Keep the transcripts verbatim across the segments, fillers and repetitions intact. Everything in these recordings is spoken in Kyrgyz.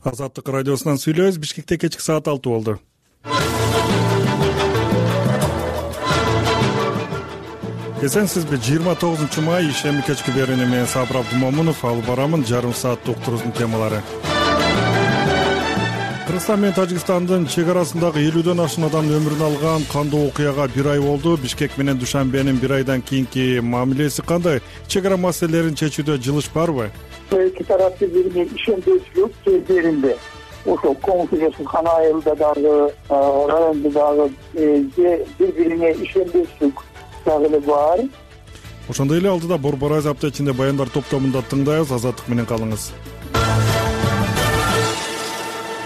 Азаттык радиосунан сүйлөбүз. Бишкекте кечки саат алты болду. Эсенсизби? жыйырма тогузунчу май ишемби кечки берүүнү менен Сабыр Абдумомунов алып барамын. Жарым сааттык уктуруубуздун темалары. Кыргызстан менен Тажикстандын чек арасындагы элүүдөн ашуун адамдын өмүрүн алган кандуу окуяга бир ай болду. Бишкек менен Душанбенин бир айдан кийинки мамилеси кандай? Чек ара маселелерин чечүүдө жылыш барбы? Эки тарап бири-бирине ишенчүчүлүк кездеринде ошол коңсузчулукан айылда дагы райондо дагы бири-бирине ишенбештик дагы эле бар. Ошондой эле алдыда Борборай аптечинде баяндар топтомунда тыңдайбыз. Азаттык менен калыңыз.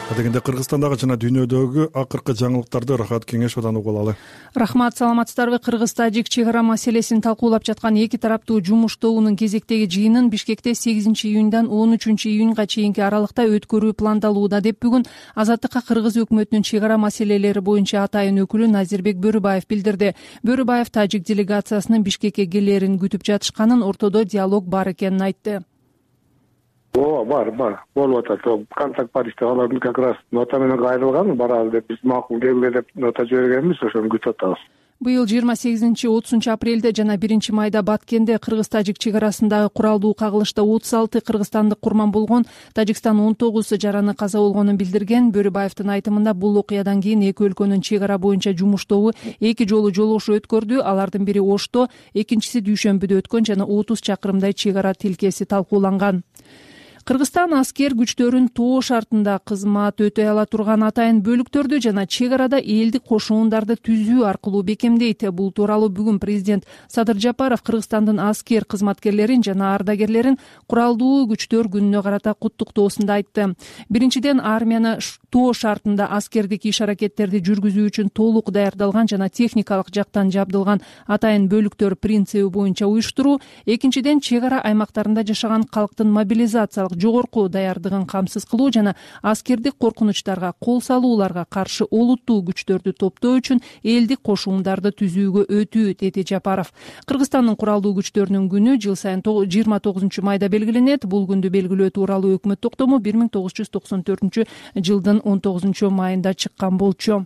Адегенде Кыргызстандагы жана дүйнөдөгү акыркы жаңылыктарды Рахат Кеңешовдон угуп алалы. Рахмат, саламатсыздарбы? Кыргыз-тажик чек ара маселесин талкуулап жаткан эки тараптуу жумуштоонун кезектеги жыйынын Бишкекте сегизинчи июндан он үчүнчү июнга чейинки аралыкта өткөрүү пландалууда деп бүгүн Азаттыкка Кыргыз өкмөтүнүн чек ара маселелери боюнча атайын өкүлү Назирбек Бөрүбаев билдирди. Бөрүбаев тажик делегациясынын Бишкекке келерин күтүп жатышканын, ортодо диалог бар экенин айтты. Ооба, бар, бар. Болуп атат. Контакт бар иште. Алардын как раз нота менен кайрылган, баралы деп биз макул келгиле деп нота жибергенбиз, ошону күтүп атабыз. Быйыл жыйырма сегизинчи отузунчу апрелде жана биринчи майда Баткенде Кыргыз-тажик чек арасындагы куралдуу кагылышта отуз алты кыргызстандык курман болгон, Тажикстан он тогуз жараны каза болгонун билдирген. Бөрүбаевдин айтымында бул окуядан кийин эки өлкөнүн чек ара боюнча жумуштобу эки жолу жолугушуу өткөрдү. Алардын бири Ошто, экинчиси Дүйшөмбүдө өткөн жана отуз чакырымдай чек ара тилкеси талкууланган. Кыргызстан аскер күчтөрүн тоо шартында кызмат өтөй ала турган атайын бөлүктөрдү жана чек арада элдик кошуундарды түзүү аркылуу бекемдейт. Бул тууралуу бүгүн президент Садыр Жапаров Кыргызстандын аскер кызматкерлерин жана ардагерлерин куралдуу күчтөр күнүнө карата куттуктоосунда айтты. Биринчиден, армияны тоо шартында аскердик иш-аракеттерди жүргүзүү үчүн толук даярдалган жана техникалык жактан жабдылган атайын бөлүктөр принциби боюнча уюштуруу. Экинчиден, чек ара аймактарында жашаган калктын мобилизациялык жогорку даярдыгын камсыз кылуу жана аскердик коркунучтарга, кол салууларга каршы олуттуу күчтөрдү топтоо үчүн элдик кошуундарды түзүүгө өтүү, деди Жапаров. Кыргызстандын куралдуу күчтөрүнүн күнү жыл сайын жыйырма тогузунчу майда белгиленет. Бул күндү белгилөө тууралуу өкмөт токтому бир миң тогуз жүз токсон төртүнчү жылдын он тогузунчу майында чыккан болчу.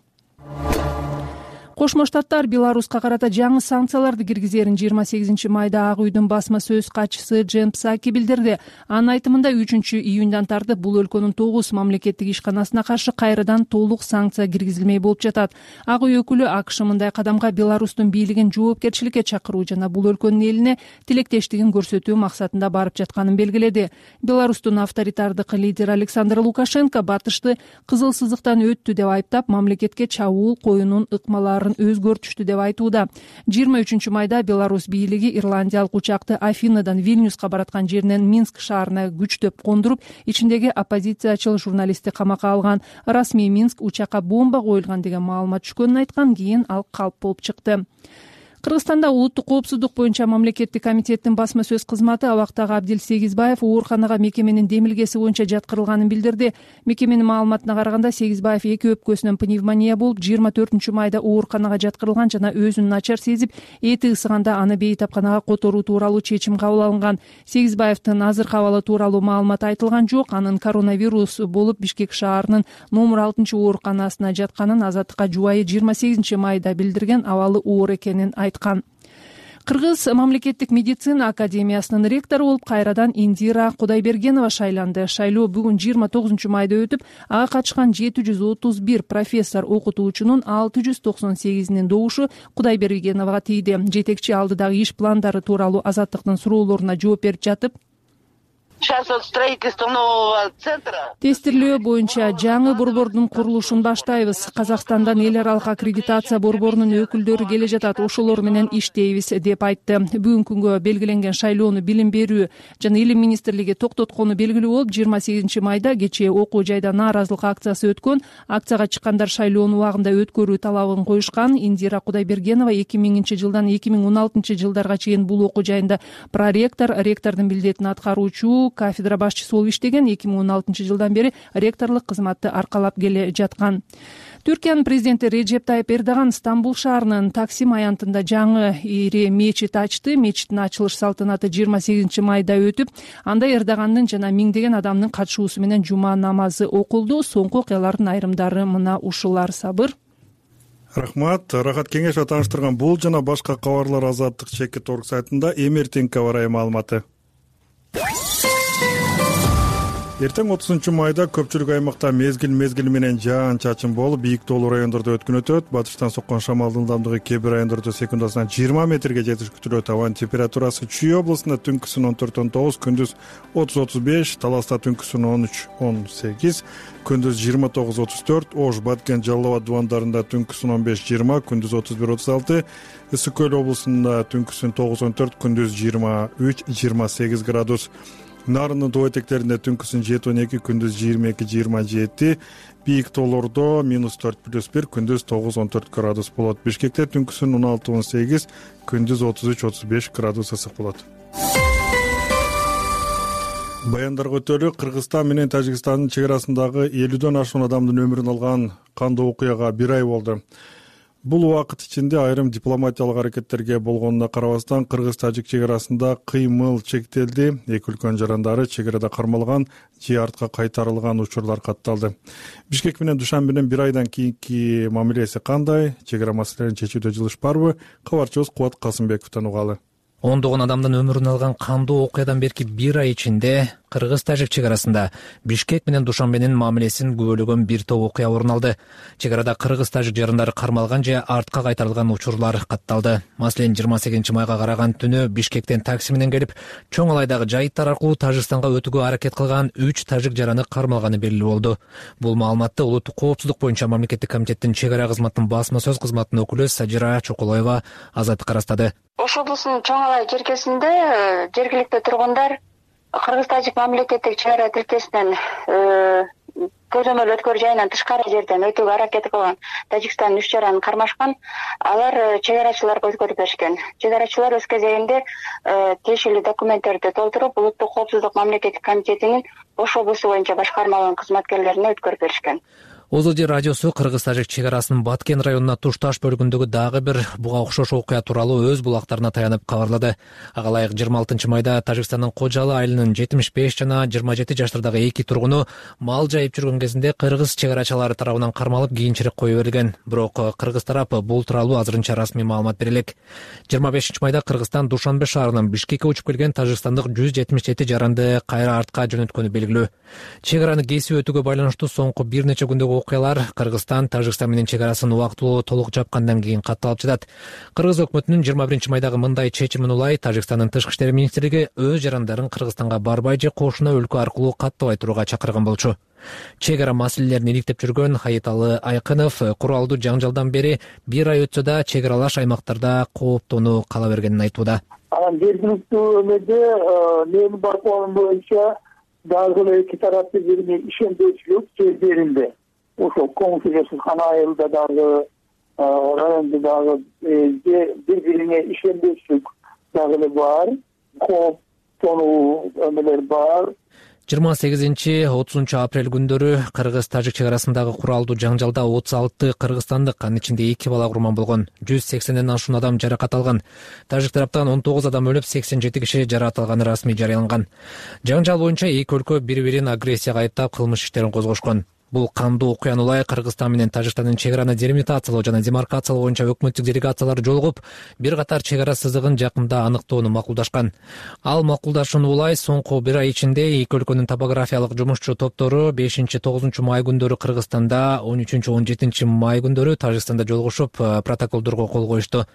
Кошмо Штаттар Беларуска карата жаңы санкцияларды киргизерин жыйырма сегизинчи майда Ак үйдүн басма сөз катчысы Джен Псаки билдирди. Анын айтымында үчүнчү июндан тартып бул өлкөнүн тогуз мамлекеттик ишканасына каршы кайрадан толук санкция киргизилмей болуп жатат. Ак үй өкүлү АКШ мындай кадамга Беларустун бийлигин жоопкерчиликке чакыруу жана бул өлкөнүн элине тилектештигин көрсөтүү максатында барып жатканын белгиледи. Беларустун авторитардык лидери Александр Лукашенко батышты кызыл сызыктан өттү деп айыптап, мамлекетке чабуул коюунун ыкмаларын өзгөртүштү деп айтууда. жыйырма үчүнчү майда Беларусь бийлиги ирландиялык учакты Афинадан Вильнюска бараткан жеринен Минск шаарына күчтөп кондуруп, ичиндеги оппозициячыл журналистти камакка алган. Расмий Минск учакка бомба коюлган деген маалымат түшкөнүн айткан, кийин ал калп болуп чыкты. Кыргызстанда улуттук коопсуздук боюнча мамлекеттик комитеттин басма сөз кызматы абактагы Абдил Сегизбаев ооруканага мекеменин демилгеси боюнча жаткырылганын билдирди. Мекеменин маалыматына караганда, Сегизбаев эки өпкөсүнөн пневмония болуп, жыйырма төртүнчү майда ооруканага жаткырылган жана өзүн начар сезип, эти ысыганда аны бейтапканага которуу тууралуу чечим кабыл алынган. Сегизбаевдин азыркы абалы тууралуу маалымат айтылган жок. Анын коронавирус болуп Бишкек шаарынын номер алтынчы ооруканасына жатканын Азаттыкка жубайы жыйырма сегизинчи майда билдирген, абалы оор экенин айткан. Кыргыз мамлекеттик медицина академиясынын ректору болуп кайрадан Индира Кудайбергенова шайланды. Шайлоо бүгүн жыйырма тогузунчу майда өтүп, ага катышкан жети жүз отуз бир профессор окутуучунун алты жүз токсон сегизинин добушу Кудайбергеновага тийди. Жетекчи алдыдагы иш пландары тууралуу Азаттыктын суроолоруна жооп берип жатып, Сейчас от строительства нового центра. Тестирлөө боюнча жаңы борбордун курулушун баштайбыз. Казакстандан эл аралык аккредитация борборунун өкүлдөрү келе жатат. Ошолор менен иштейбиз деп айтты. Бүгүнкү күнгө белгиленген шайлоону Билим берүү жана Илим министрлиги токтоткону белгилүү болуп, жыйырма сегизинчи майда кечээ окуу жайда нааразылык акциясы өткөн. Акцияга чыккандар шайлоону убагында өткөрүү талабын коюшкан. Индира Кудайбергенова эки миңинчи жылдан эки миң он алтынчы жылдарга чейин бул окуу жайында проректор, ректордун милдетин аткаруучу, кафедра башчысы болуп иштеген. эки миң он алтынчы жылдан бери ректорлук кызматты аркалап келе жаткан. Түркиянын президенти Реджеп Тайып Эрдоган Стамбул шаарынын Таксим аянтында жаңы ири мечит ачты. Мечиттин ачылыш салтанаты жыйырма сегизинчи майда өтүп, анда Эрдогандын жана миңдеген адамдын катышуусу менен жума намазы окулду. Соңку окуялардын айрымдары мына ушулар. Сабыр. Рахмат. Рахат Кеңешова тааныштырган бул жана башка кабарлар Азаттык чекит орг сайтында. Эмертинка барай маалыматы. Эртең отузунчу майда көпчүлүк аймакта мезгил мезгили менен жаан-чачын болуп, бийик тоолуу райондордо өткүн өтөт. Батыштан соккон шамалдын ылдамдыгы кээ бир райондордо секундасына жыйырма метрге жетиш күтүлөт. Абанын температурасы Чүй областында түнкүсүн он төрт он тогуз, күндүз отуз отуз беш, Таласта түнкүсүн он үч он сегиз, күндүз жыйырма тогуз отуз төрт, Ош, Баткен, Жалал Абад дубандарында түнкүсүн он беш жыйырма, күндүз отуз бир отуз алты, Ысык Көл облусунда түнкүсүн тогуз он төрт, күндүз жыйырма үч жыйырма сегиз градус. Нарындын тоо этектеринде түнкүсүн жети он эки, күндүз жыйырма эки жыйырма жети, бийик тоолордо минус төрт плюс бир, күндүз тогуз он төрт градус болот. Бишкекте түнкүсүн он алты он сегиз, күндүз отуз үч отуз беш градус ысык болот. Баяндарга өтөлү. Кыргызстан менен Тажикстандын чек арасындагы элүүдөн ашуун адамдын өмүрүн алган кандуу окуяга бир ай болду. Бул убакыт ичинде айрым дипломатиялык аракеттерге болгонуна карабастан кыргыз-тажик чек арасында кыймыл чектелди. Эки өлкөнүн жарандары чек арада кармалган же артка кайтарылган учурлар катталды. Бишкек менен Душанбенин бир айдан кийинки мамилеси кандай? Чек ара маселелерин чечүүдө жылыш барбы? Кабарчыбыз Кубат Касымбековдон угалы. Ондогон адамдын өмүрүн алган кандуу окуядан берки бир ай ичинде кыргыз-тажик чек арасында Бишкек менен Душанбенин мамилесин күбөлөгөн бир топ окуя орун алды. Чек арада кыргыз-тажик жарандары кармалган же артка кайтарылган учурлар катталды. Маселен, жыйырма сегизинчи майга караган түнү Бишкектен такси менен келип, Чоң Алайдагы жайыттар аркылуу Тажикстанга өтүүгө аракет кылган үч тажик жараны кармалганы белгилүү болду. Бул маалыматты Улуттук коопсуздук боюнча мамлекеттик комитеттин чек ара кызматынын басма сөз кызматынын өкүлү Сажира Чокулоева Азаттыкка ырастады. Ош облусунун Чоң Алай жеркесинде жергиликтүү тургундар кыргыз-тажик мамлекеттик чек ара тилкесинен көзөмөл өткөр жайынан тышкары жерден өтүүгө аракет кылган Тажикстандын үч жаранын кармашкан. Алар чек арачыларга өткөрүп беришкен. Чек арачылар өз кезегинде тиешелүү документтерди толтуруп, Улуттук коопсуздук мамлекеттик комитетинин Ош облусу боюнча башкармалыгынын кызматкерлерине өткөрүп беришкен. Озоди радиосу кыргыз-тажик чек арасынын Баткен районуна тушташ бөлүгүндөгү дагы бир буга окшош окуя тууралуу өз булактарына таянып кабарлады. Ага ылайык жыйырма алтынчы майда Тажикстандын Кожалы айылынын жетимиш беш жана жыйырма жети жаштардагы эки тургуну мал жайып жүргөн кезинде кыргыз чек арачылары тарабынан кармалып кийинчерээк кое берилген. Бирок кыргыз тарап бул тууралуу азырынча расмий маалымат бере элек. жыйырма бешинчи майда Кыргызстан Душанбе шаарынан Бишкекке учуп келген тажикстандык жүз жетимиш жети жаранды кайра артка жөнөткөнү белгилүү. Чек араны кесип өтүүгө байланыштуу соңку бир нече күндөгү окуялар Кыргызстан Тажикстан менен чек арасын убактылуу толук жапкандан кийин катталып жатат. Кыргыз өкмөтүнүн жыйырма биринчи майдагы мындай чечимин улай Тажикстандын тышкы иштер министрлиги өз жарандарын Кыргызстанга барбай же кошуна өлкө аркылуу каттабай турууга чакырган болчу. Чек ара маселелерин иликтеп жүргөн Хаиталы Айкынов куралдуу жаңжалдан бери бир ай өтсө да чек аралаш аймактарда кооптонуу кала бергенин айтууда. Анан жергиликтүү өмөдө менин байкоом боюнча дагы эки тараптын бирине ишенбечүлүк жердеринде ошо коңшу жашыркан айылда дагы райондо дагы бири бирине ишенбечүлүк дагы бар, кооптонуу өмөлөр бар. жыйырма сегизинчи отузунчу апрель күндөрү кыргыз-тажик чек арасындагы куралдуу жаңжалда отуз алты кыргызстандык, анын ичинде эки бала курман болгон. жүз сексенден ашуун адам жаракат алган. Тажик тараптан он тогуз адам өлүп, сексен жети киши жаракат алганы расмий жарыяланган. Жаңжал боюнча эки өлкө бири-бирин агрессияга айыптап кылмыш иштерин козгошкон. Бул кандуу окуяны улай Кыргызстан менен Тажикстандын чек араны делимитациялоо жана демаркациялоо боюнча өкмөттүк делегациялар жолугуп, бир катар чек ара сызыгын жакында аныктоону макулдашкан. Ал макулдашууну улай соңку бир ай ичинде эки өлкөнүн топографиялык жумушчу топтору бешинчи тогузунчу май күндөрү Кыргызстанда, он үчүнчү он жетинчи май күндөрү Тажикстанда жолугушуп, протоколдорго кол коюшту.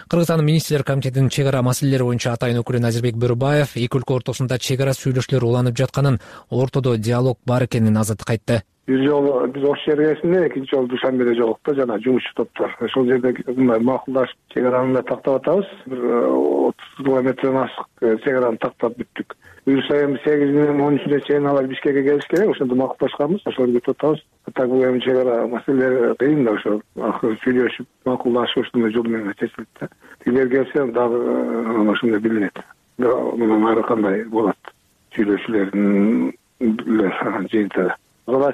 Кыргызстандын министрлер комитетинин чек ара маселелери боюнча атайын өкүлү Назирбек Бөрүбаев эки өлкө ортосунда чек ара сүйлөшүүлөр уланып жатканын, ортодо диалог бар экенин Азаттыкка айтты. Бир жолу биз Ош жергесинде, экинчи жолу Душанбеде жолукту жана жумушчу топтор. Ошол жерде мындай макулдашып чек араны тактап атабыз. Бир отуз километрден ашык чек араны тактап бүттүк. Буюрса эми сегизинен он үчүнө чейин алар Бишкекке келиш керек, ошондо макулдашканбыз, ошол күтүп атабыз. Так бул эми чек ара маселелери кыйын да, ошо акыры сүйлөшүп, макулдашып ошондой жол менен чечилет да. Тилер келсе дагы ошондой билинет. Мындан ары кандай болот сүйлөшүүлөрдүн жыйынтыгы.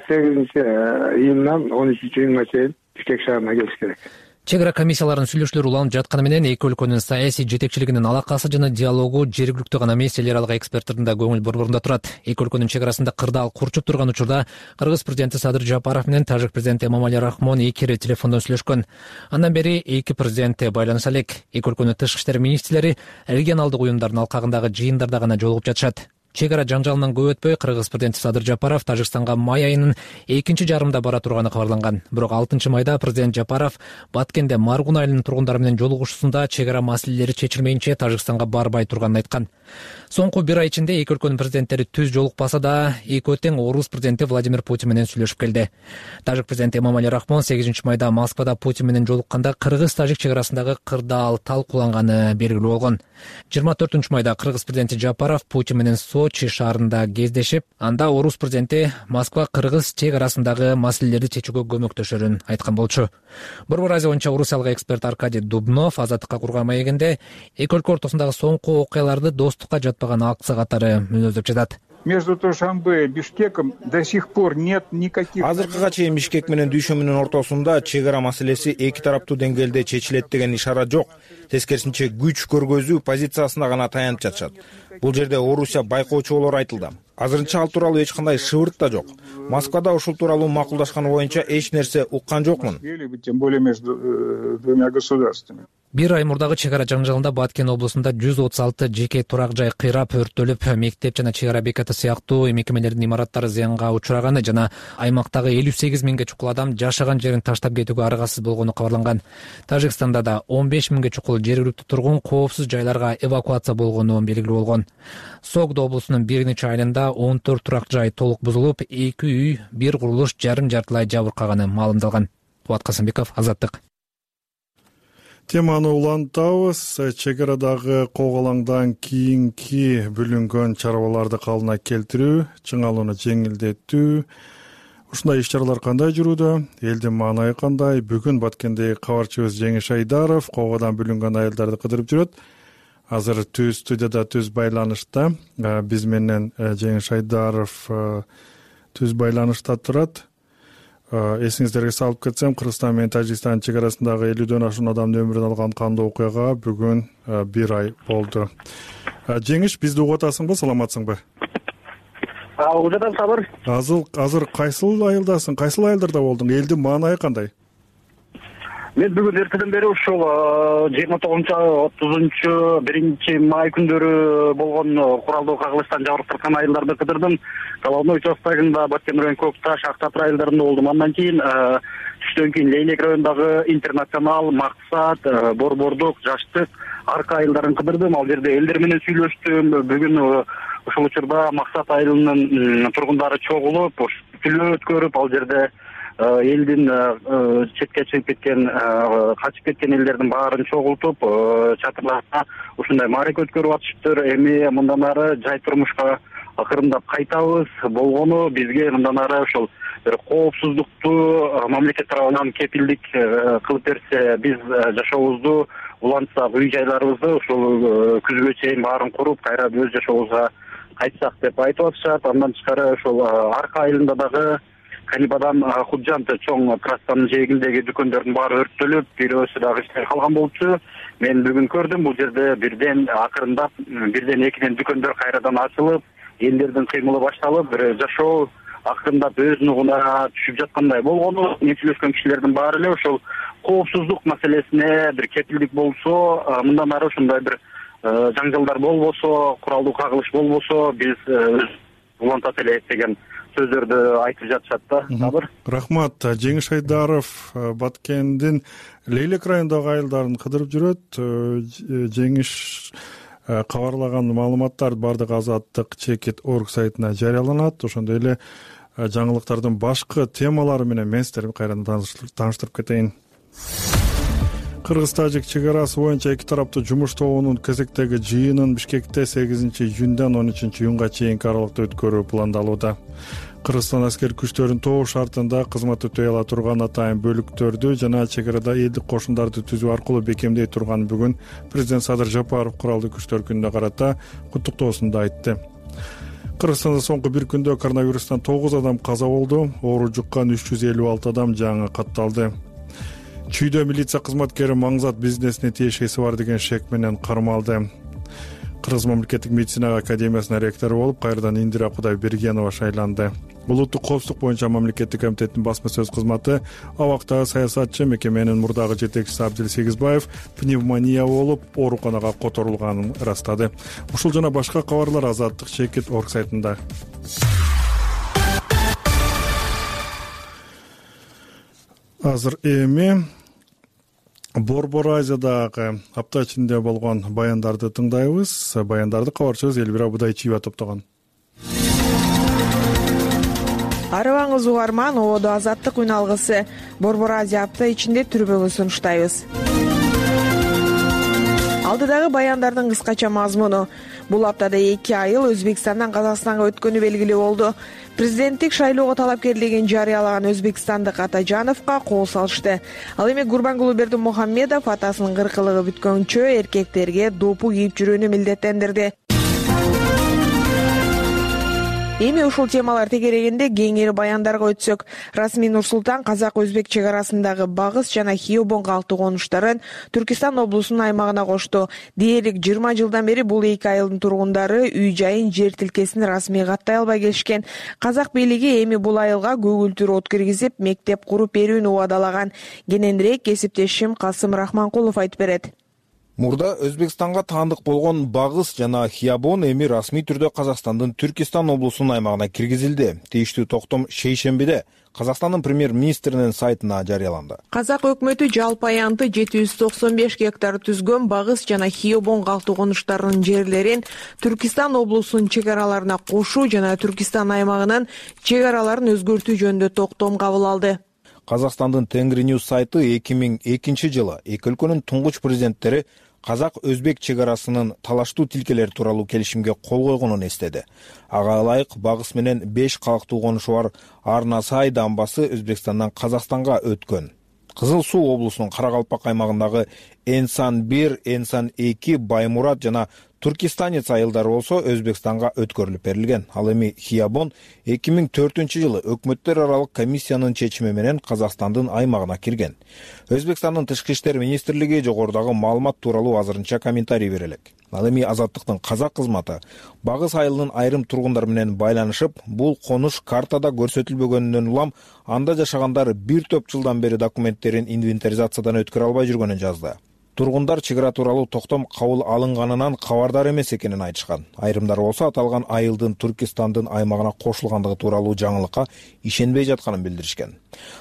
сегизинчи июндан он үчүнчү июнга чейин Бишкек шаарына келиш керек. Чек ара комиссияларынын сүйлөшүүлөрү уланып жатканы менен эки өлкөнүн саясий жетекчилигинин алакасы жана диалогу жергиликтүү гана эмес, эл аралык эксперттердин да көңүл борборунда турат. Эки өлкөнүн чек арасында кырдаал курчуп турган учурда Кыргыз президенти Садыр Жапаров менен тажик президенти Эмомали Рахмон эки ирет телефондон сүйлөшкөн. Андан бери эки президент байланыша элек. Эки өлкөнүн тышкы иштер министрлери регионалдык уюмдардын алкагындагы жыйындарда гана жолугуп жатышат. Чек ара жаңжалынан көп өтпөй Кыргыз президенти Садыр Жапаров Тажикстанга май айынын экинчи жарымында бара турганы кабарланган. Бирок алтынчы майда президент Жапаров Баткенде Маргун айылынын тургундары менен жолугушуусунда чек ара маселелери чечилмейинче Тажикстанга барбай турганын айткан. Соңку бир ай ичинде эки өлкөнүн президенттери түз жолукпаса да, экөө тең орус президенти Владимир Путин менен сүйлөшүп келди. Тажик президенти Эмомали Рахмон сегизинчи майда Москвада Путин менен жолукканда Кыргыз-Тажик чек арасындагы кырдаал талкууланганы белгилүү болгон. жыйырма төртүнчү майда Кыргыз президенти Жапаров Путин менен Сочи шаарында кездешип, анда орус президенти Москва-Кыргыз чек арасындагы маселелерди чечүүгө көмөктөшөрүн айткан болчу. Борбор Азия боюнча орусиялык эксперт Аркадий Дубнов Азаттыкка курган маегинде эки өлкө ортосундагы соңку окуяларды достукка жатпаган акция катары мүнөздөп жатат. Между Душанбе и Бишкеком до сих пор нет никаких. Азыркыга чейин Бишкек менен Дүйшөмүнүн ортосунда чек ара маселеси эки тараптуу деңгээлде чечилет деген ишара жок. Тескерисинче күч көргөзүү позициясына гана таянып жатышат. Бул жерде Орусия байкоочу болор айтылды. Азырынча ал тууралуу эч кандай шыбырт да жок. Москвада ушул тууралуу макулдашканы боюнча эч нерсе уккан жокмун. Тем более между двумя государствами. Бир ай мурдагы чек ара жаңжалында Баткен облусунда жүз отуз алты жеке турак жай кыйрап өрттөлүп, мектеп жана чек ара бекаты сыяктуу мекемелердин имараттары зыянга учураганы жана аймактагы элүү сегиз миңге чукул адам жашаган жерин таштап кетүүгө аргасыз болгону кабарланган. Тажикстанда да он беш миңге чукул жергиликтүү тургун коопсуз жайларга эвакуация болгону белгилүү болгон. Согдо облусунун бир нече айылында он төрт турак жай толук бузулуп, эки үй, бир курулуш жарым жартылай жабыркаганы маалымдалган. Кубат Касымбеков, Азаттык. Теманы улантабыз. Чек арадагы коогалаңдан кийинки бүлүнгөн чарбаларды калына келтирүү, чыңалууну жеңилдетүү, ушундай иш-чаралар кандай жүрүүдө? Элдин маанайы кандай? Бүгүн Баткендеги кабарчыбыз Жеңиш Айдаров коогадан бүлүнгөн айылдарды кыдырып жүрөт. Азыр түз студияда түз байланышта. Биз менен Жеңиш Айдаров түз байланышта турат. Эсиңиздерге салып кетсем, Кыргызстан менен Тажикстан чек арасындагы элүүдөн ашуун адамдын өмүрүн алган кандуу окуяга бүгүн бир ай болду. Жеңиш, бизди угуп атасыңбы, саламатсыңбы? Угуп жатам, Сабыр. Азыр азыр кайсыл айылдасың? Кайсыл айылдарда болдуң? Элдин маанайы кандай? Мен бүгүн эртеден бери ушул жыйырма тогузунчу отузунчу биринчи май күндөрү болгон куралдуу кагылыштан жабыркаткан айылдарды кыдырдым. Головной участогунда Баткен району Көкташ, Актап айылдарында болдум. Андан кийин түштөн кийин Лейлек районундагы Интернационал, Максат, Борбордук, Жаштык, Арка айылдарын кыдырдым. Ал жерде элдер менен сүйлөштүм. Бүгүн ушул учурда Максат айылынын тургундары чогулуп, сүйлөө өткөрүп, ал жерде элдин четке чыгып кеткен, качып кеткен элдердин баарын чогултуп, чатырларына ушундай маарек өткөрүп атышыптыр. Эми мындан ары жай турмушка акырындап кайтабыз болгону, бизге мындан ары ошол бир коопсуздукту мамлекет тарабынан кепилдик кылып берсе, биз жашообузду улантсак, үй жайларыбызды ушул күзгө чейин баарын куруп, кайра өз жашообузга кайтсак деп айтып атышат. Андан тышкары ошол Арка айылында дагы Канибадан Худжант чоң трассанын жээгиндеги дүкөндөрдүн баары өрттөлүп, бирөөсү дагы иштей калган болчу. Мен бүгүн көрдүм, бул жерде бирден акырындап, бирден экиден дүкөндөр кайрадан ачылып, элдердин кыймылы башталып, бир жашоо акырындап өз нугуна түшүп жаткандай болгону, мен сүйлөшкөн кишилердин баары эле ошол коопсуздук маселесине бир кепилдик болсо, мындан ары ушундай бир жаңжалдар болбосо, куралдуу кагылыш болбосо, биз улантат элек деген сөздөрдү айтып жатышат да. Сабыр. Рахмат. Жеңиш Айдаров Баткендин Лейлек районундагы айылдарын кыдырып жүрөт. Жеңиш кабарлаган маалыматтар бардык Азаттык чекит точка орг сайтына жарыяланат. Ошондой эле жаңылыктардын башкы темалары менен мен сиздерди кайрадан тааныштырып кетейин. Кыргыз-Тажик чек арасы боюнча эки тараптуу жумуш тобунун кезектеги жыйынын Бишкекте сегизинчи июндан он үчүнчү июнга чейинки аралыкта өткөрүү пландалууда. Кыргызстан аскер күчтөрүнүн тоо шартында кызмат өтөй ала турган атайын бөлүктөрдү жана чек арада элдик кошундарды түзүү аркылуу бекемдей турган бүгүн президент Садыр Жапаров куралдуу күчтөр күнүнө карата куттуктоосунда айтты. Кыргызстанда соңку бир күндө коронавирустан тогуз адам каза болду, оору жуккан үч жүз элүү алты адам жаңы катталды. Чүйдө милиция кызматкери Маңзат бизнесине тиешеси бар деген шек менен кармалды. Кыргыз мамлекеттик медицина академиясынын ректору болуп, кайрадан Индира Кудайбергенова шайланды. Улуттук коопсуздук боюнча мамлекеттик комитеттин басма сөз кызматы абактагы саясатчы мекеменин мурдагы жетекчиси Абдил Сегизбаев пневмония болуп, ооруканага которулганын ырастады. Ушул жана башка кабарлар Азаттык Чекит орг сайтында. Азыр эми Борбор Азиядагы апта ичинде болгон баяндарды тыңдайбыз. Баяндарды кабарчыбыз Элбира Будайчиева топтогон. Арыбаңыз угарман, ободо Азаттык үн алгысы. Борбор Азия апта ичинде түрбөгө сунуштайбыз. Алдыдагы баяндардын кыскача мазмуну. Бул аптада эки айыл Өзбекстандан Казакстанга өткөнү белгилүү болду. Президенттик шайлоого талапкерлигин жарыялаган өзбекстандык Атажановго кол салышты. Ал эми Гурбангулы Бердимухамедов атасынын кыркылыгы бүткөнчө эркектерге допу кийип жүрүүнү милдеттендирди. Эми ушул темалар тегерегинде кеңири баяндарга өтсөк, Расмий Нурсултан казак-өзбек чек арасындагы Багыс жана Хиобон калктуу конуштарын Түркистан облусунун аймагына кошту. Дээрлик жыйырма жылдан бери бул эки айылдын тургундары үй-жайын, жер тилкесин расмий каттай албай келишкен. Казак бийлиги эми бул айылга көгүлтүр от киргизип, мектеп куруп берүүнү убадалаган. Кененирээк кесиптешим Касым Рахманкулов айтып берет. Мурда Өзбекстанга таандык болгон Багыс жана Хиобон эми расмий түрдө Казакстандын Түркистан облусунун аймагына киргизилди. Тийиштүү токтом шейшембиде Казакстандын премьер-министринин сайтына жарыяланды. Казак өкмөтү жалпы аянты жети жүз токсон беш гектар түзгөн Багыс жана Хиобон калктуу конуштарынын жерлерин Түркистан облусунун чек араларына кошуу жана Түркистан аймагынын чек араларын өзгөртүү жөнүндө токтом кабыл алды. Казакстандын Тенгриньюз сайты эки миң экинчи жылы эки өлкөнүн туңгуч президенттери казак-өзбек чек арасынын талаштуу тилкелери тууралуу келишимге кол койгонун эстеди. Ага ылайык Багыс менен беш калктуу конушу бар Арнасай дамбасы Өзбекстандан Казакстанга өткөн. Кызыл Суу облусунун Каракалпак аймагындагы Энсан бир, Энсан эки, Баймурат жана Туркистанец айылдары болсо Өзбекстанга өткөрүлүп берилген. Ал эми Хиобон эки миң төртүнчү жылы өкмөттөр аралык комиссиянын чечими менен Казакстандын аймагына кирген. Өзбекстандын тышкы иштер министрлиги жогорудагы маалымат тууралуу азырынча комментарий бере элек. Ал эми Азаттыктын казак кызматы Багыс айылынын айрым тургундары менен байланышып, бул конуш картада көрсөтүлбөгөнүнөн улам анда жашагандар бир топ жылдан бери документтерин инвентаризациядан өткөрө албай жүргөнүн жазды. Тургундар чек ара тууралуу токтом кабыл алынганынан кабардар эмес экенин айтышкан. Айрымдар болсо аталган айылдын Түркистандын аймагына кошулгандыгы тууралуу жаңылыкка ишенбей жатканын билдиришкен.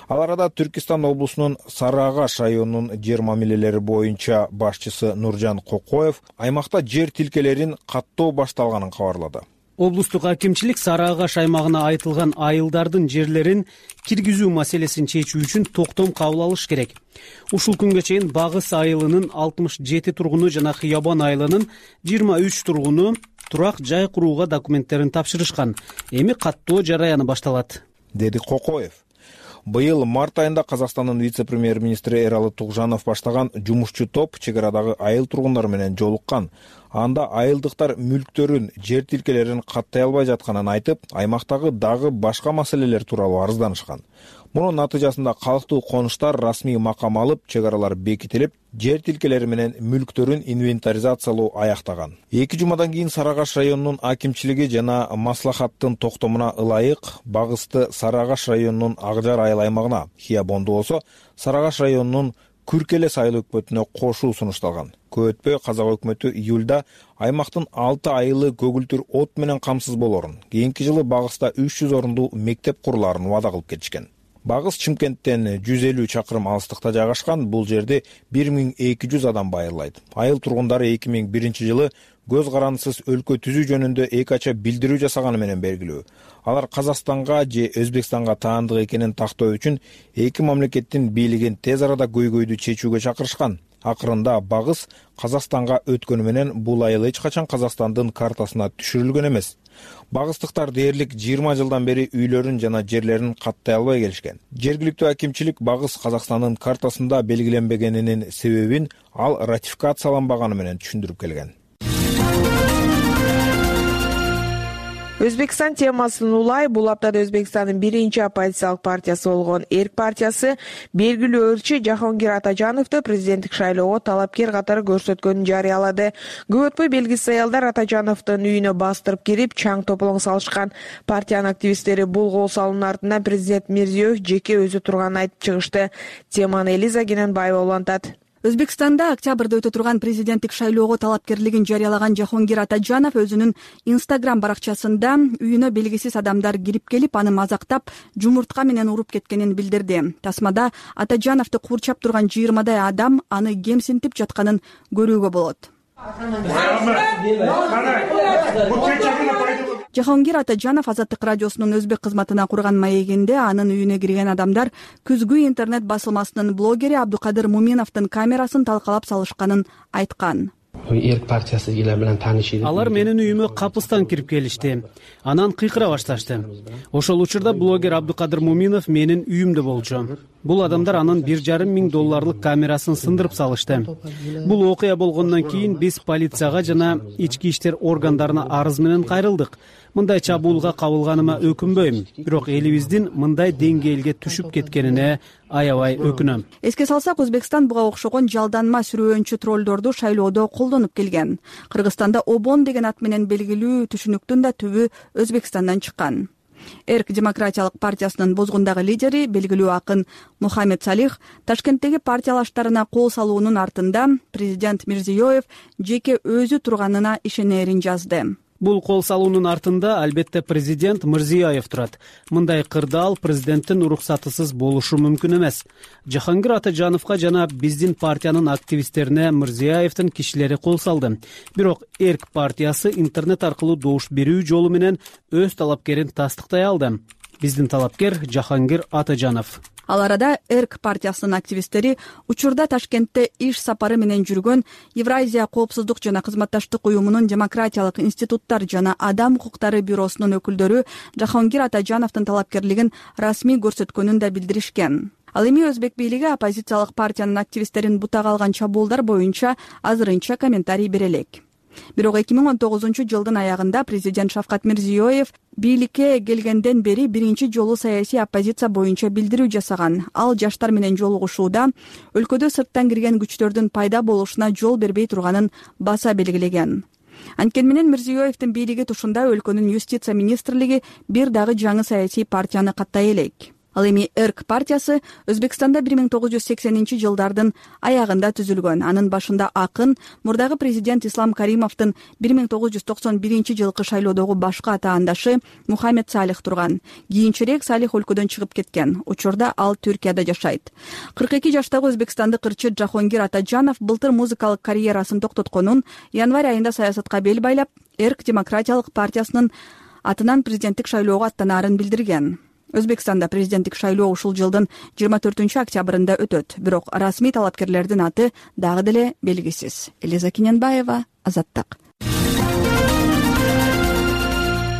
Ал арада Түркистан облусунун Сары Агаш районунун жер мамилелери боюнча башчысы Нуржан Кокоев аймакта жер тилкелерин каттоо башталганын кабарлады. Облустук акимчилик Сары Агаш аймагына айтылган айылдардын жерлерин киргизүү маселесин чечүү үчүн токтом кабыл алыш керек. Ушул күнгө чейин Багыс айылынын алтымыш жети тургуну жана Хиобон айылынын жыйырма үч тургуну турак жай курууга документтерин тапшырышкан. Эми каттоо жараяны башталат, деди Кокоев. Быйыл март айында Казакстандын вице-премьер-министри Эралы Тугжанов баштаган жумушчу топ чек арадагы айыл тургундары менен жолуккан. Анда айылдыктар мүлктөрүн, жер тилкелерин каттай албай жатканын айтып, аймактагы дагы башка маселелер тууралуу арызданышкан. Мунун натыйжасында калктуу конуштар расмий макам алып, чек аралар бекитилип, жер тилкелери менен мүлктөрүн инвентаризациялоо аяктаган. Эки жумадан кийин Сары Агаш районунун акимчилиги жана маслахаттын токтомуна ылайык Багысты Сары Агаш районунун Акжар айыл аймагына, Хиобонду болсо Сары Агаш районунун Күркелес айыл өкмөтүнө кошуу сунушталган. Көп өтпөй казак өкмөтү июлда аймактын алты айылы көгүлтүр от менен камсыз болорун, кийинки жылы Багыста үч жүз орундуу мектеп курулаарын убада кылып кетишкен. Багыс Чымкенттен жүз элүү чакырым алыстыкта жайгашкан. Бул жерде бир миң эки жүз адам байырлайт. Айыл тургундары эки миң биринчи жылы көз карандысыз өлкө түзүү жөнүндө эки ача билдирүү жасаганы менен белгилүү. Алар Казакстанга же Өзбекстанга таандык экенин тактоо үчүн эки мамлекеттин бийлигин тез арада көйгөйдү чечүүгө чакырышкан. Акырында Багыс Казакстанга өткөнү менен бул айыл эч качан Казакстандын картасына түшүрүлгөн эмес. Багыстыктар дээрлик жыйырма жылдан бери үйлөрүн жана жерлерин каттай албай келишкен. Жергиликтүү акимчилик Багыс Казакстандын картасында белгиленбегенинин себебин ал ратификацияланбаганы менен түшүндүрүп келген. Өзбекстан темасын улай бул аптада Өзбекстандын биринчи оппозициялык партиясы болгон Эрк партиясы белгилүү ырчы Жахонгир Атажановду президенттик шайлоого талапкер катары көрсөткөнүн жарыялады. Көп өтпөй белгисиз аялдар Атажановдун үйүнө бастырып кирип, чаң тополоң салышкан. Партиянын активисттери бул кол салуунун артынан президент Мирзиёев жеке өзү турганын айтып чыгышты. Теманы Элиза Кененбаева улантат. Өзбекстанда октябрда өтө турган президенттик шайлоого талапкерлигин жарыялаган Жахонгир Атажанов өзүнүн Инстаграм баракчасында үйүнө белгисиз адамдар кирип келип, аны мазактап, жумуртка менен уруп кеткенин билдирди. Тасмада Атажановду курчап турган жыйырмадай адам аны кемсинтип жатканын көрүүгө болот. Жахонгир Атажанов Азаттык радиосунун өзбек кызматына курган маегинде анын үйүнө кирген адамдар күзгү интернет басылмасынын блогери Абдукадыр Муминовдун камерасын талкалап салышканын айткан. Эрк партиясы кишилер менен таанышты. Алар менин үйүмө капыстан кирип келишти. Анан кыйкыра башташты. Ошол учурда блогер Абдукадыр Муминов менин үйүмдө болчу. Бул адамдар анын бир жарым миң долларлык камерасын сындырып салышты. Бул окуя болгондон кийин биз полицияга жана ички иштер органдарына арыз менен кайрылдык. Мындай чабуулга кабылганыма өкүнбөйм, бирок элибиздин мындай деңгээлге түшүп кеткенине аябай өкүнөм. Эске салсак, Өзбекстан буга окшогон жалданма сүрөөнчү троллдорду шайлоодо колдонуп келген. Кыргызстанда Обон деген ат менен белгилүү түшүнүктүн да түбү Өзбекстандан чыккан. Эрк демократиялык партиясынын бозгундагы лидери, белгилүү акын Мухаммед Салих Ташкенттеги партиялаштарына кол салуунун артында президент Мирзиёев жеке өзү турганына ишенерин жазды. Бул кол салуунун артында албетте президент Мирзиёев турат. Мындай кырдаал президенттин уруксатысыз болушу мүмкүн эмес. Жахонгир Атажановго жана биздин партиянын активисттерине Мирзиёевдин кишилери кол салды. Бирок Эрк партиясы интернет аркылуу добуш берүү жолу менен өз талапкерин тастыктай алды. Биздин талапкер Жахонгир Атажанов. Ал арада Эрк партиясынын активисттери учурда Ташкентте иш сапары менен жүргөн Евразия коопсуздук жана кызматташтык уюмунун демократиялык институттар жана адам укуктары бюросунун өкүлдөрү Жахонгир Атажановдун талапкерлигин расмий көрсөткөнүн да билдиришкен. Ал эми өзбек бийлиги оппозициялык партиянын активисттерин бутага алган чабуулдар боюнча азырынча комментарий бере элек. Бирок эки миң он тогузунчу жылдын аягында президент Шавкат Мирзиёев бийликке келгенден бери биринчи жолу саясий оппозиция боюнча билдирүү жасаган. Ал жаштар менен жолугушууда өлкөдө сырттан кирген күчтөрдүн пайда болушуна жол бербей турганын баса белгилеген. Анткени менен Мирзиёевдин бийлиги тушунда өлкөнүн юстиция министрлиги бир дагы жаңы саясий партияны каттай элек. Ал эми Эрк партиясы Өзбекстанда бир миң тогуз жүз сексенинчи жылдардын аягында түзүлгөн. Анын башында акын, мурдагы президент Ислам Каримовдун бир миң тогуз жүз токсон биринчи жылкы шайлоодогу башкы атаандашы Мухаммед Салих турган. Кийинчерээк Салих өлкөдөн чыгып кеткен. Учурда ал Түркияда жашайт. кырк эки жаштагы өзбекстандык ырчы Жахонгир Атажанов былтыр музыкалык карьерасын токтотконун, январь айында саясатка бел байлап, Эрк демократиялык партиясынын атынан президенттик шайлоого аттанаарын билдирген. Өзбекстанда президенттик шайлоо ушул жылдын жыйырма төртүнчү октябрында өтөт, бирок расмий талапкерлердин аты дагы деле белгисиз. Элиза Кененбаева, Азаттык.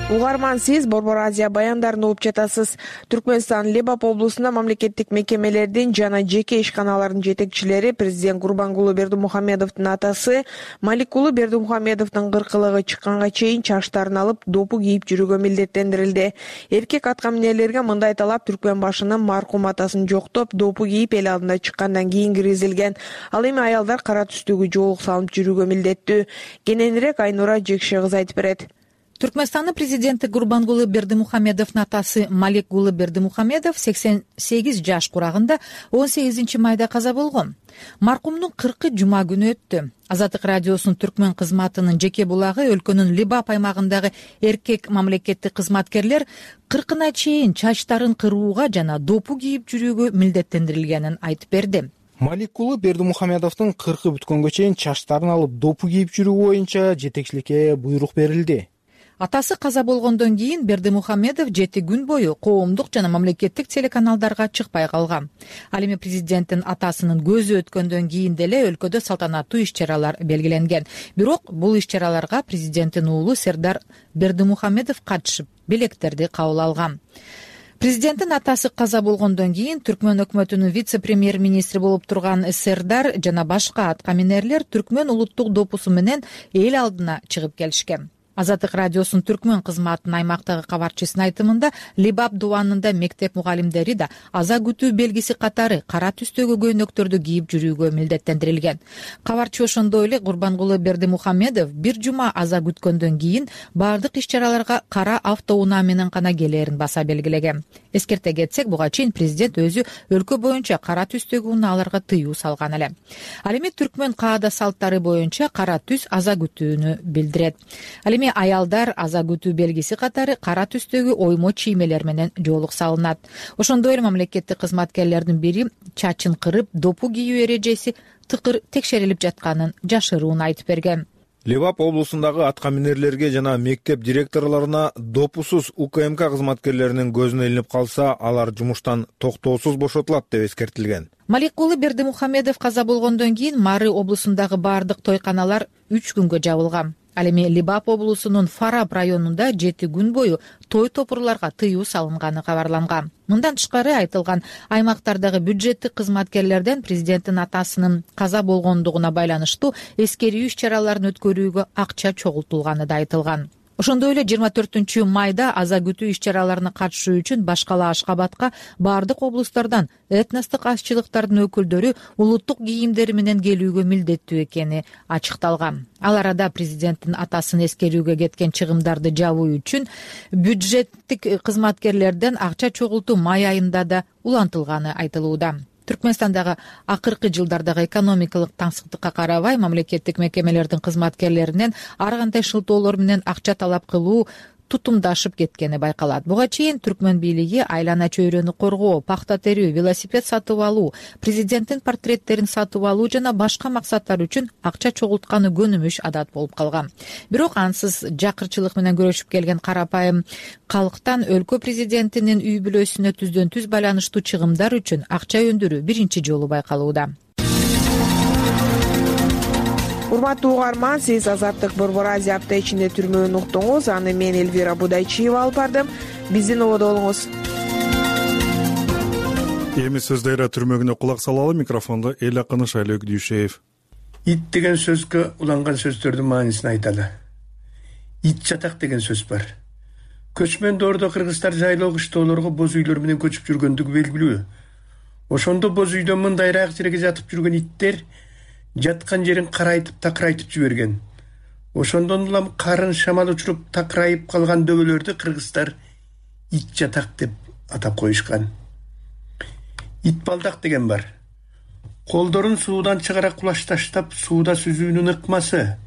Угарман, сиз Борбор Азия баяндарын угуп жатасыз. Түркмөнстан Лебап облусунда мамлекеттик мекемелердин жана жеке ишканалардын жетекчилери президент Гурбангулы Бердимухамедовдун атасы Маликулы Бердимухамедовдун кыркылыгы чыкканга чейин чачтарын алып, допу кийип жүрүүгө милдеттендирилди. Эркек аткаминерлерге мындай талап Түркмөн башынын маркум атасын жоктоп, допу кийип эл алдына чыккандан кийин киргизилген. Ал эми аялдар кара түстөгү жоолук салынып жүрүүгө милдеттүү. Кененирээк Айнура Жекше кызы айтып берет. Түркмөнстандын президенти Гурбангулы Бердимухамедовдун атасы Маликулы Бердимухамедов сексен сегиз жаш курагында он сегизинчи майда каза болгон. Маркумдун кыркы жума күнү өттү. Азаттык радиосунун түркмөн кызматынын жеке булагы өлкөнүн Лебап аймагындагы эркек мамлекеттик кызматкерлер кыркына чейин чачтарын кырууга жана допу кийип жүрүүгө милдеттендирилгенин айтып берди. Маликулы Бердимухамедовдун кыркы бүткөнгө чейин чачтарын алып, допу кийип жүрүү боюнча жетекчиликке буйрук берилди. Атасы каза болгондон кийин Бердимухамедов жети күн бою коомдук жана мамлекеттик телеканалдарга чыкпай калган. Ал эми президенттин атасынын көзү өткөндөн кийин деле өлкөдө салтанаттуу иш-чаралар белгиленген. Бирок бул иш-чараларга президенттин уулу Сердар Бердимухамедов катышып, белектерди кабыл алган. Президенттин атасы каза болгондон кийин Түркмөн өкмөтүнүн вице-премьер-министри болуп турган Сердар жана башка аткаминерлер Түркмөн улуттук допусу менен эл алдына чыгып келишкен. Азаттык радиосунун түркмөн кызматынын аймактагы кабарчысынын айтымында Либап дубанында мектеп мугалимдери да аза күтүү белгиси катары кара түстөгү көйнөктөрдү кийип жүрүүгө милдеттендирилген. Кабарчы ошондой эле Курбангулы Бердимухамедов бир жума аза күткөндөн кийин баардык иш-чараларга кара автоунаа менен гана келээрин баса белгилеген. Эскерте кетсек, буга чейин президент өзү өлкө боюнча кара түстөгү унааларга тыюу салган эле. Ал эми түркмөн каада салттары боюнча кара түс аза күтүүнү билдирет. Ал эми аялдар аза күтүү белгиси катары кара түстөгү оймо чиймелер менен жоолук салынат. Ошондой эле мамлекеттик кызматкерлердин бири чачын кырып допу кийүү эрежеси тыкыр текшерилип жатканын жашыруун айтып берген. Лебап облусундагы атка минерлерге жана мектеп директорлоруна допусуз УКМК кызматкерлеринин көзүнө илинип калса, алар жумуштан токтоосуз бошотулат деп эскертилген. Маликулы Бердимухамедов каза болгондон кийин Мары облусундагы баардык тойканалар үч күнгө жабылган. Ал эми Либап облусунун Фараб районунда жети күн бою той топурларга тыюу салынганы кабарланган. Мындан тышкары айтылган аймактардагы бюджеттик кызматкерлерден президенттин атасынын каза болгондугуна байланыштуу эскерүү иш-чараларын өткөрүүгө акча чогултулганы да айтылган. Ошондой эле жыйырма төртүнчү майда аза күтүү иш-чараларына катышуу үчүн башкала Ашкабадка баардык облустардан этностук азчылыктардын өкүлдөрү улуттук кийимдери менен келүүгө милдеттүү экени ачыкталган. Ал арада президенттин атасын эскерүүгө кеткен чыгымдарды жабуу үчүн бюджеттик кызматкерлерден акча чогултуу май айында да улантылганы айтылууда. Түркмөнстандагы акыркы жылдардагы экономикалык таңсыктыкка карабай, мамлекеттик мекемелердин кызматкерлеринен ар кандай шылтоолор менен акча талап кылуу тутумдашып кеткени байкалат. Буга чейин түркмөн бийлиги айлана чөйрөнү коргоо, пахта терүү, велосипед сатып алуу, президенттин портреттерин сатып алуу жана башка максаттар үчүн акча чогултканы көнүмүш адат болуп калган. Бирок ансыз жакырчылык менен күрөшүп келген карапайым калктан өлкө президентинин үй бүлөсүнө түздөн түз байланыштуу чыгымдар үчүн акча өндүрүү биринчи жолу байкалууда. Урматтуу угарман, сиз Азаттык Борбор Азия апта ичинде түрмөөнү уктуңуз. Аны мен Элвира Будайчиева алып бардым. Биздин ободо болуңуз. Эми сөздөйрө түрмөгүнө кулак салалы. Микрофондо Эл Акыны Шайлоо Дүйшеев. Ит деген сөзгө уланган сөздөрдүн маанисин айталы. Ит жатак деген сөз бар. Көчмөн доордо кыргыздар жайлоо кыштоолорго боз үйлөр менен көчүп жүргөндүгү белгилүү. Ошондо боз үйдө мындайраак жерге жатып жүргөн иттер жаткан жерин карайтып такырайтып жиберген. Ошондон улам карын шамал учуруп такырайып калган дөбөлөрдү кыргыздар ит жатак деп атап коюшкан. Ит балдак деген бар. Колдорун суудан чыгара кулаш таштап сууда сүзүүнүн ыкмасы.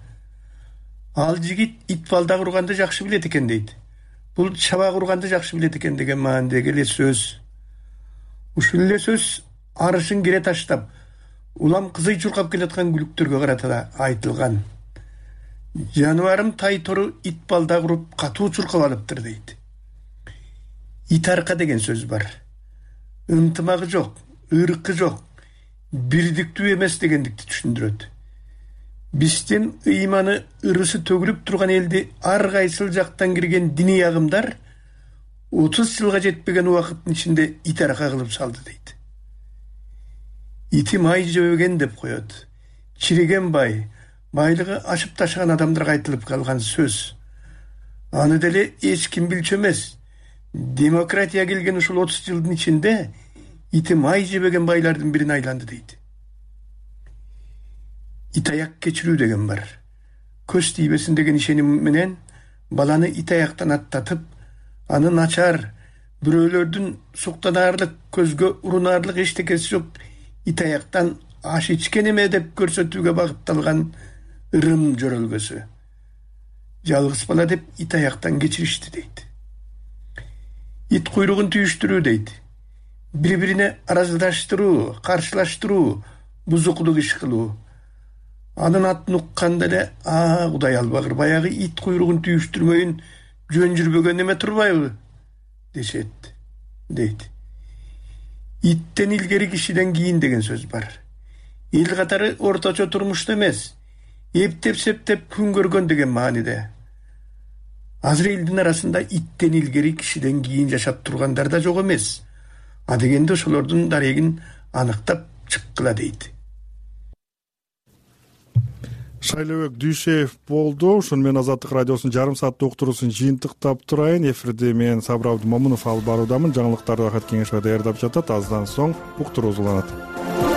Ал жигит ит балдак урганды жакшы билет экен дейт. Бул чабак урганды жакшы билет экен деген маанидеги эле сөз. Ушул эле сөз арышын кере таштап улам кызый чуркап келаткан күлүктөргө карата айтылган. Жаныбарым тай тору ит балдак уруп катуу чуркап алыптыр дейт. Ит арка деген сөз бар. Ынтымагы жок, ыркы жок, бирдиктүү эмес дегендикти түшүндүрөт. Биздин ыйманы ырысы төгүлүп турган элди ар кайсыл жактан кирген диний агымдар отуз жылга жетпеген убакыттын ичинде ит арка кылып салды дейт. Ити май жебеген деп коет. Чириген бай, байлыгы ашып ташыган адамдарга айтылып калган сөз. Аны деле эч ким билчү эмес. Демократия келген ушул отуз жылдын ичинде ити май жебеген байлардын бирине айланды дейт. Ит аяк кечирүү деген бар. Көз тийбесин деген ишеним менен баланы ит аяктан аттатып, аны начар, бирөөлөрдүн суктанаарлык, көзгө урунаарлык эчтекеси жок ит аяктан аш ичкен эме деп көрсөтүүгө багытталган ырым жөрөлгөсү. Жалгыз бала деп ит аяктан кечиришти дейт. Ит куйругун түйүштүрүү дейт. Бири-бирине араздаштыруу, каршылаштыруу, бузуклук иш кылуу. Анын атын укканда эле, а Кудай албагыр, баягы ит куйругун түйүштүрмөйүн жөн жүрбөгөн эме турбайбы дешет, дейт. Иттен илгери кишиден кийин деген сөз бар. Эл катары орточо турмушта эмес, эптеп-септеп күн көргөн деген мааниде. Азыр элдин арасында иттен илгери кишиден кийин жашап тургандар да жок эмес. А дегенде ошолордун дарегин аныктап чыккыла дейт. Шайлообек Дүйшеев болду. Ушуну менен Азаттык радиосунун жарым сааттык уктуруусун жыйынтыктап турайын. Эфирде мен Сабыр Абдымомунов алып баруудамын. Жаңылыктарды Ахат Кеңешбай даярдап жатат. Аздан соң уктуруубуз уланат.